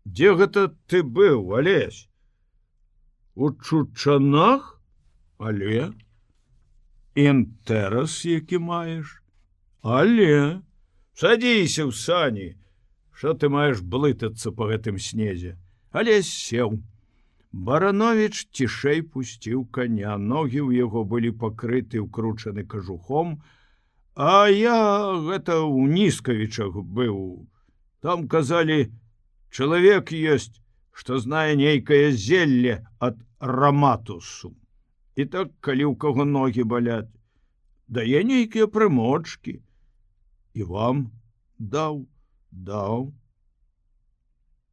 Дзе гэта ты быў, Алесь? У Чучанах? Але? Інтэрас, які маеш? Але? Садзіся ў сані. Што ты маеш блытацца па гэтым снезе? Алесь сеў. Барановіч цішэй пусціў коня. Ногі ў яго былі пакрыты ўкручаны кажухом, а я гэта ў Нізкавічах быў. Там казалі, чалавек ёсць, што знае нейкае зелле ад раматусу. І так, калі ў каго ногі баляць, дае нейкія прымочкі. І вам даў.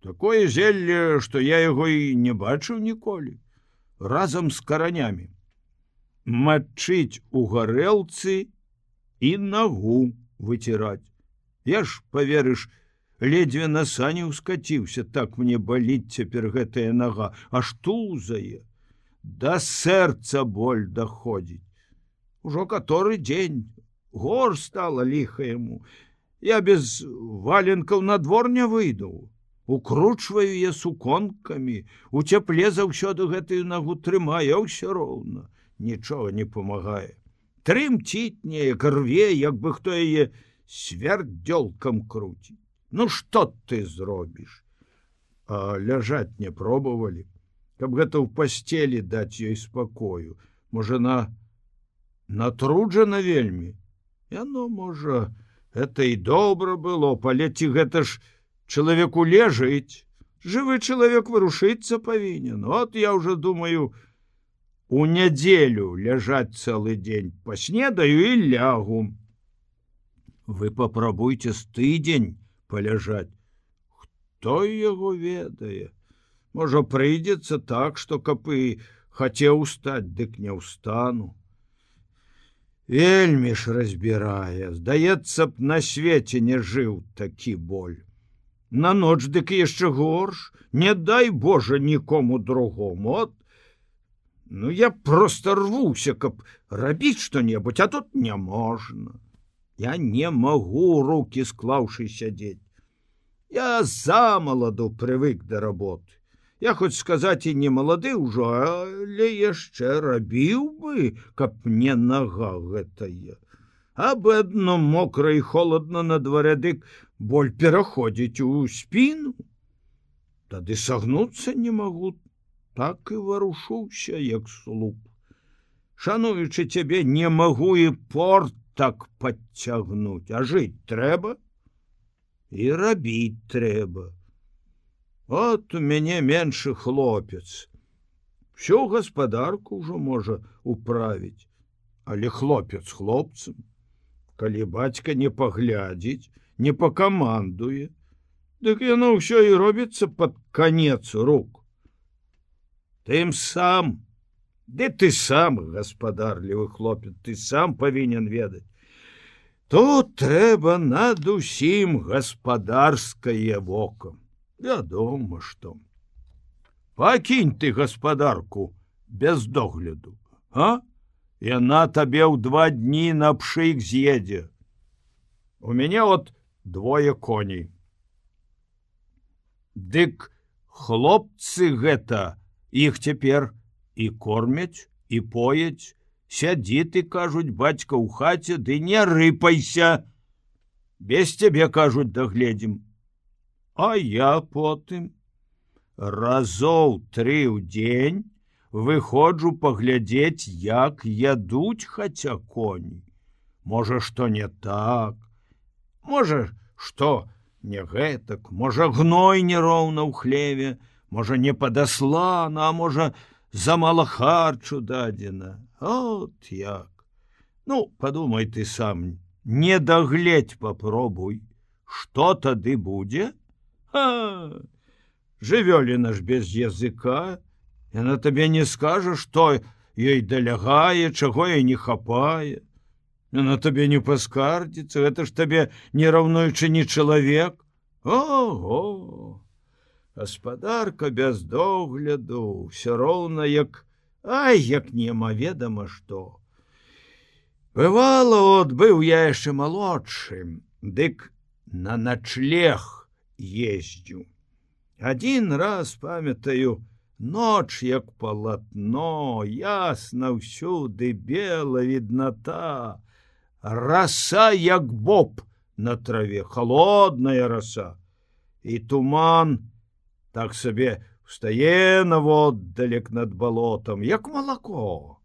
Такое зелле, што я яго і не бачыў ніколі. Разам з каранямі. Мачыць у гарэлцы і нагу выціраць. Я ж, паверыш, ледзьве на сані ўскаціўся, так мне баліць цяпер гэтая нага, аж тузае. Да сэрца боль даходзіць. Ужо каторы дзень, гор стала ліха яму. Я без валенкаў на двор не выйду. Укручваю я суконкамі, у цяпле заўсёды гэтую нагу трымаю, ўсё роўна. Нічога не памагае. Трымціць неяк, рве, як бы хто яе свярдзёлкам круціць. Ну што ты зробіш? А ляжаць не пробавалі, каб гэта ў пасцелі даць ёй спакою. Можа, натруджана вельмі. Яно, можа, это і добра было, палеці гэта ж чалавеку лежыць. Жывы чалавек вырушыцца павінен. От я ўжо думаю, у нядзелю ляжаць цэлы дзень, паснедаю і лягу. Вы папрабуйце з тыдзень паляжаць. Хто яго ведае? Можа, прыйдзецца так, што каб і хацеў устаць, дык не ўстану. Вельмі ж разбірае. Здаецца б, на свеце не жыў такі боль. На ноч дык яшчэ горш. Не дай Божа нікому другому. От, ну я просто рвуся, каб рабіць што-небудзь, а тут не можна. Я не магу, рукі склаўшы, сядзець. Я замаладу прывык да работы. Я хоць сказаць і не малады ўжо, але яшчэ рабіў бы, каб не нага гэтая. Аб адно мокра і холодна на дварэ, дык боль пераходзіць у спіну. Тады сагнуцца не магу, так і варушуся, як слуп. Шануючы цябе, не магу і порт так падцягнуць, а жыць трэба і рабіць трэба. От у мяне меншы хлопец. Всю гаспадарку ўжо можа управіць, але хлопец хлопцам. Калі бацька не паглядзіць, не пакамандуе, дык яно ўсё і робіцца пад канец рук. Тым сам, ды ты сам, гаспадарлівы хлопец, ты сам павінен ведаць. Тут трэба над усім гаспадарскае вока. Вядома, што. Пакінь ты гаспадарку без догляду, а? Яна табе ў 2 дні на пшык з'едзе. У мяне от 2 коней. Дык хлопцы гэта, іх цяпер і кормяць, і пояць. Сядзі ты, кажуць, бацька ў хаце, ды не рыпайся. Без цябе, кажуць, дагледзім. А я потым разоў 3 ў дзень выходжу паглядзець, як ядуць хаця коні. Можа, што не так, можа, што не гэтак, можа, гной нероўна ў хлеве, можа, не падаслана, а можа, замала харчу дадзена. От як. Ну, падумай ты сам, не дагледзь папробуй, што тады будзе? Жывёліна ж без языка, яна табе не скажа, што ёй далягае, чаго ёй не хапае. Яна табе не паскардзіцца, гэта ж табе не раўнуючы не чалавек. Ого! Гаспадарка без догляду, ўсё роўна як, як немаведама што. Бывала, от быў я яшчэ малодшым, дык на начлег ездзю. Адзін раз памятаю, ноч як палатно, ясна ўсюды, бела відната, раса як боб на траве, холодная раса, і туман так сабе встае наводдалек над балотам, як малако.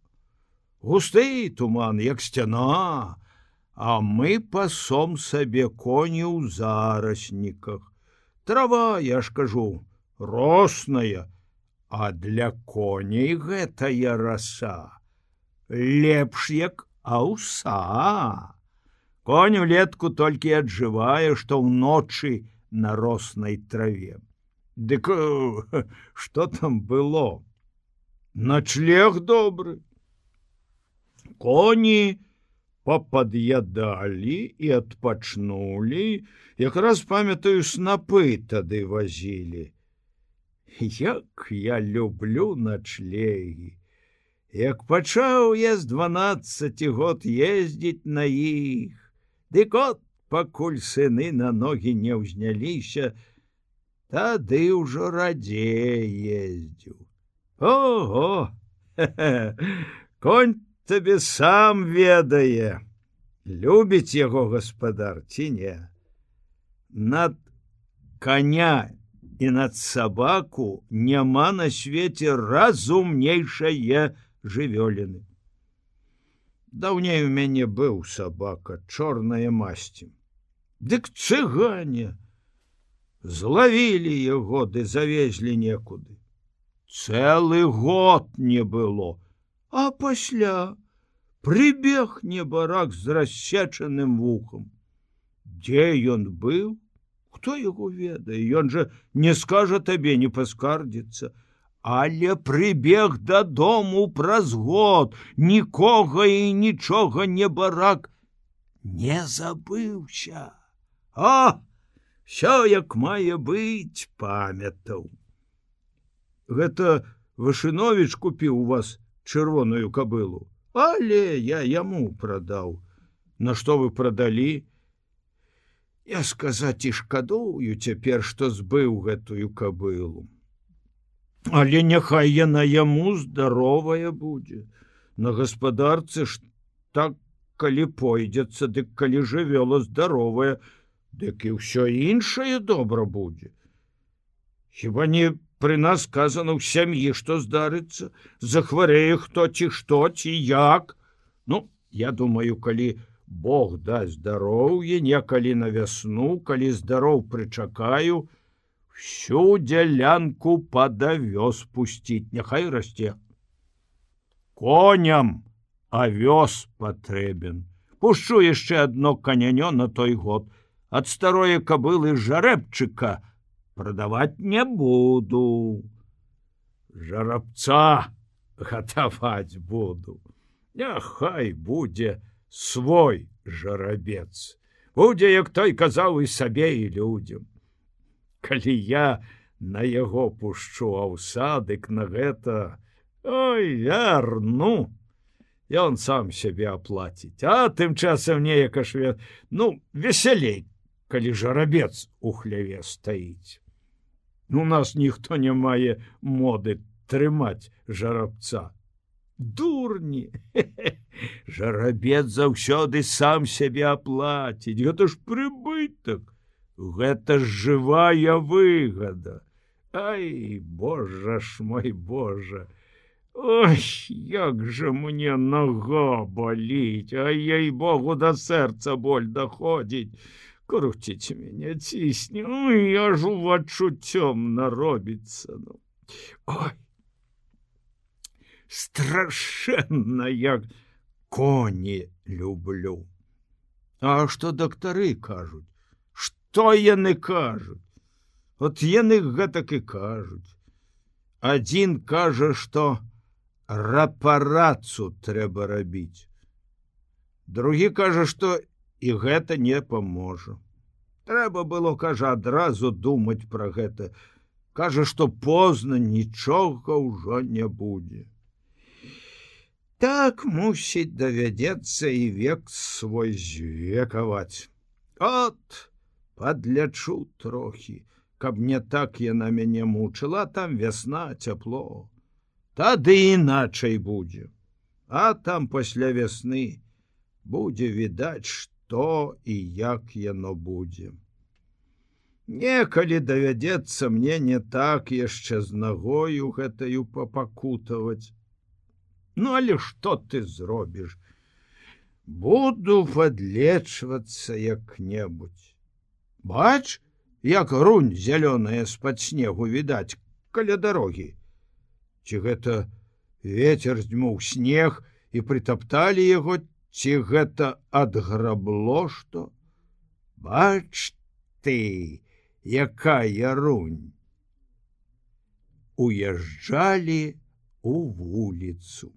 Густы туман, як сцяна, а мы пасом сабе коні ў зарасніках. Трава, я ж кажу, росная, а для коней гэтая раса лепш як аўса. Конь улетку толькі аджывае, што ўночы на роснай траве. Дык што там было? Начлег добры. Коні попад'ядалі і адпачнулі, якраз памятаю, снапы тады вазілі. Як я люблю начлегі. Як пачаў я з 12 год ездзіць на іх, дык от, пакуль сыны на ногі не ўзняліся, тады ўжо радзей ездзіў. Ого! Конь табе сам ведае, любіць яго гаспадар ці не. Над коня і над сабаку няма на свеце разумнейшае жывёліны. Даўней у мяне быў сабака, чорная масці. Дык цыгане злавілі яго ды завезлі некуды. Цэлы год не было, а пасля прыбег небарак з рассечаным вухам. Дзе ён быў? Хто яго ведае? Ён жа не скажа табе, не паскардзіцца. Але прыбег дадому праз год, нікога і нічога небарак не забыўся. А, всё як мае быць, памятаў. Гэта Вашыновіч купіў у вас чырвоную кабылу, але я яму прадаў. На што вы прадалі? Я сказаць і шкадую цяпер, што збыў гэтую кабылу. Але няхай яна яму здаровая будзе. На гаспадарцы ж так, калі пойдзецца, дык калі жывёла здаровая, дык і ўсё іншае добра будзе. Хіба не пры нас сказано ў сям'і, што здарыцца, захварэе хто ці што, ці як. Ну, я думаю, калі Бог дасць здароўе, некалі на вясну, калі здароў прычакаю, всю дзялянку пад авёс пусціць, няхай расце. Коням авёс патрэбен. Пушчу яшчэ адно канянё на той год. Ад старое кабылы жарэбчыка прадаваць не буду. Жарабца гатаваць буду. Няхай будзе свой жарабец. Будзе, як той казаў, і сабе, і людзям. Калі я на яго пушчу аўса, дык на гэта, ой, вярну, ён сам сябе аплаціць. А тым часам неяка ж, весялей, калі жарабец у хляве стаіць. У нас ніхто не мае моды трымаць жарабца. Дурні! Жарабец заўсёды сам сябе аплаціць. Гэта ж прыбытак. Гэта ж жывая выгада. Ай, Божа ж мой Божа! Ой, як жа мне нога баліць, а ей-богу, да сэрца боль даходзіць. Круціць мяне, цісне, ой, аж увачуццём наробіцца. Ой, страшэнна, як коні люблю. А што дактары кажуць? Што яны кажуць? От яны гэтак і кажуць. Адзін кажа, што рапарацу трэба рабіць. Другі кажа, што і гэта не паможа. Трэба было, кажа, адразу думаць пра гэта. Кажа, што позна, нічога ўжо не будзе. Так, мусіць, давядзецца і век свой звекаваць. От, падлячу трохі, каб не так яна мяне мучыла, там вясна, цяпло. Тады іначай будзе. А там пасля вясны будзе відаць, што і як яно будзе. Некалі давядзецца мне не так яшчэ з нагою гэтаю папакутаваць. Ну, але што ты зробіш? Буду падлечвацца як-небудзь. Бач, як рунь зялёная з-пад снегу відаць каля дарогі. Ці гэта вецер здзьмуў снег і прытапталі яго, ці гэта адграбло што? Бач ты, якая рунь. Уязджалі у вуліцу.